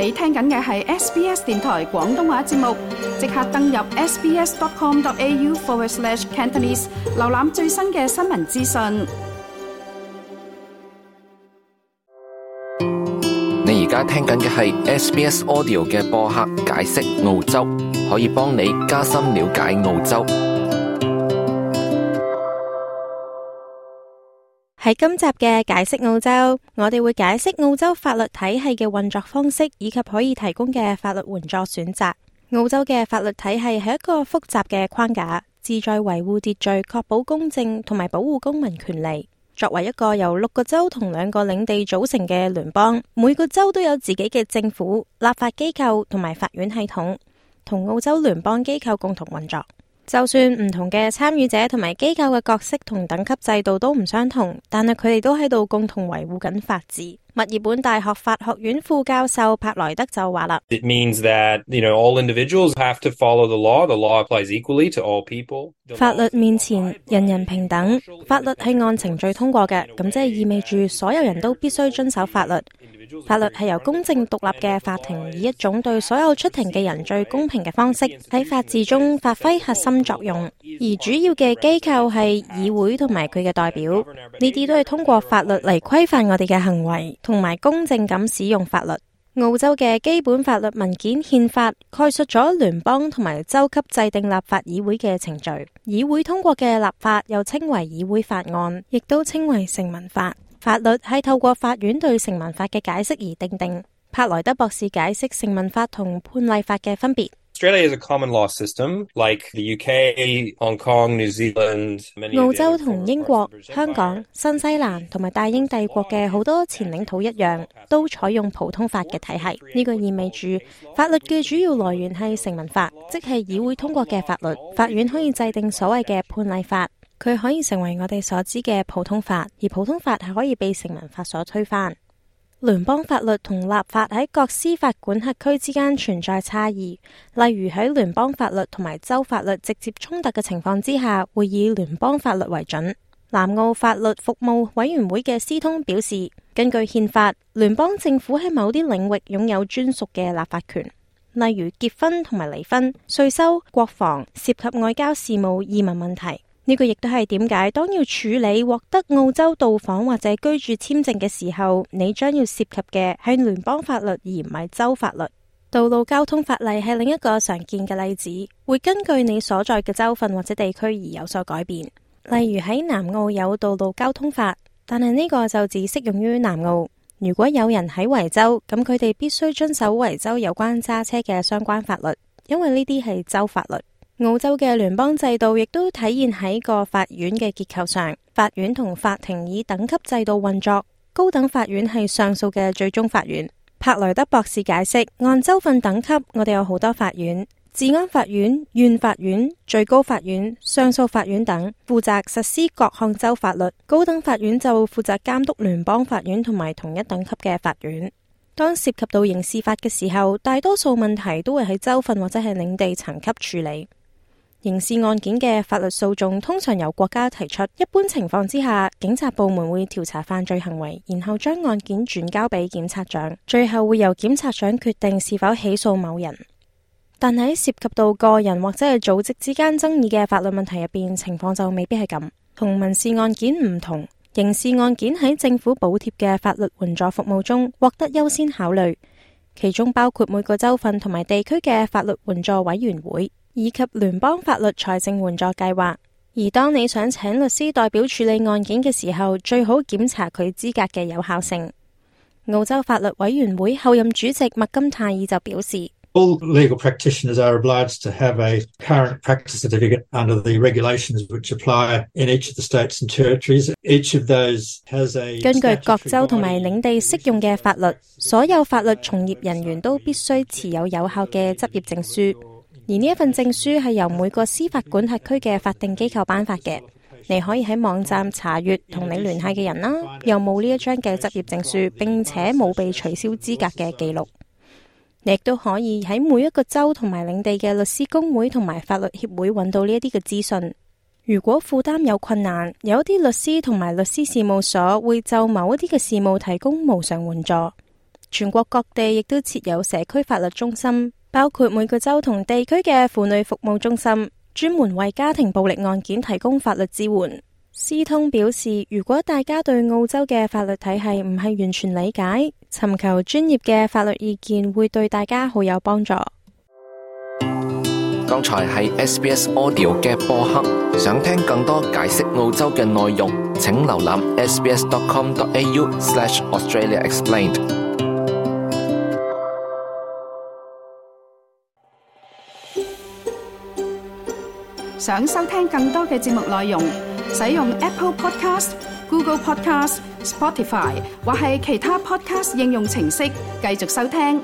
你聽緊嘅係 SBS 電台廣東話節目，即刻登入 sbs.com.au/Cantonese 瀏覽最新嘅新聞資訊。你而家聽緊嘅係 SBS Audio 嘅播客解釋澳洲，可以幫你加深了解澳洲。喺今集嘅解釋澳洲，我哋會解釋澳洲法律體系嘅運作方式，以及可以提供嘅法律援助選擇。澳洲嘅法律體系係一個複雜嘅框架，旨在維護秩序、確保公正同埋保護公民權利。作為一個由6個州同2個領地組成嘅聯邦，每個州都有自己嘅政府、立法機構同埋法院系統，同澳洲聯邦機構共同運作。就算唔同嘅參與者同埋機構嘅角色同等級制度都唔相同，但係佢哋都喺度共同維護緊法治。墨爾本大學法學院副教授柏萊德就話啦 It means that, all individuals have to follow the law. The law applies equally to all people. 法律面前人人平等，法律係按程序通過嘅，咁即係意味住所有人都必須遵守法律。法律係由公正獨立嘅法庭以一種對所有出庭嘅人最公平嘅方式喺法治中發揮核心作用，而主要嘅機構係議會同埋佢嘅代表，呢啲都係通過法律嚟規範我哋嘅行為同埋公正咁使用法律。澳洲嘅基本法律文件憲法概述咗聯邦同埋州級制定立法議會嘅程序，議會通過嘅立法又稱為議會法案，亦都稱為成文法。法律係透過法院對成文法嘅解釋而訂定。柏萊德博士解釋成文法同判例法嘅分別。Australia is a common law system, like the UK, Hong Kong, New Zealand. 澳洲同英國、香港、新西蘭同埋大英帝國嘅好多前領土一樣，都採用普通法嘅體系。呢個意味住法律嘅主要來源係成文法，即係議會通過嘅法律。法院可以制定所謂嘅判例法。佢可以成為我哋所知嘅普通法，而普通法係可以被成文法所推翻。聯邦法律同立法喺各司法管轄區之間存在差異，例如喺聯邦法律同埋州法律直接衝突嘅情況之下，會以聯邦法律為準。南澳法律服務委員會嘅斯通表示，根據憲法，聯邦政府喺某啲領域擁有專屬嘅立法權，例如結婚同埋離婚、稅收、國防、涉及外交事務、移民問題。呢個亦都係點解當要處理獲得澳洲到訪或者居住簽證嘅時候，你將要涉及嘅係聯邦法律而唔係州法律。道路交通法例係另一個常見嘅例子，會根據你所在嘅州份或者地區而有所改變。例如喺南澳有道路交通法，但係呢個就只適用於南澳。如果有人喺維州，咁佢哋必須遵守維州有關揸車嘅相關法律，因為呢啲係州法律。澳洲嘅聯邦制度亦都體現喺個法院嘅結構上，法院同法庭以等級制度運作，高等法院係上訴嘅最終法院。柏萊德博士解釋，按州份等級，我哋有好多法院，治安法院、縣法院、最高法院、上訴法院等，負責實施各項州法律。高等法院就負責監督聯邦法院同埋同一等級嘅法院。當涉及到刑事法嘅時候，大多數問題都會喺州份或者係領地層級處理。刑事案件嘅法律訴訟通常由國家提出，一般情況之下，警察部門會調查犯罪行為，然後將案件轉交俾檢察長，最後會由檢察長決定是否起訴某人。但喺涉及到個人或者係組織之間爭議嘅法律問題入邊，情況就未必係咁。同民事案件唔同，刑事案件喺政府補貼嘅法律援助服務中獲得優先考慮，其中包括每個州份同埋地區嘅法律援助委員會，以及聯邦法律財政援助計劃。而當你想請律師代表處理案件嘅時候，最好檢查佢資格嘅有效性。澳洲法律委員會後任主席麥金泰爾就表示， All legal practitioners are obliged to have a current practice certificate under the regulations which apply in each of the states and territories. Each of those has a 根據各州同埋領地適用嘅法律，所有法律從業人員都必須持有有效嘅執業證書。而呢一份證書係由每個司法管轄區嘅法定機構頒發嘅，你可以喺網站查閱同你聯繫嘅人啦，有冇呢一張嘅執業證書，並且冇被取消資格嘅記錄。你亦都可以喺每一個州同埋領地嘅律師公會同埋法律協會揾到呢一啲嘅資訊。如果負擔有困難，有一啲律師同埋律師事務所會就某一啲嘅事務提供無償援助。全國各地亦都設有社區法律中心，包括每個州同地區嘅婦女服務中心，專門為家庭暴力案件提供法律支援。思通表示，如果大家對澳洲嘅法律體系唔係完全理解，尋求專業嘅法律意見會對大家好有幫助。剛才係 SBS Audio 嘅播客，想聽更多解釋澳洲嘅內容，請瀏覽 sbs.com.au/AustraliaExplained。想收聽更多嘅節目內容，使用 Apple Podcast、Google Podcast、Spotify 或係其他 Podcast 應用程式繼續收聽。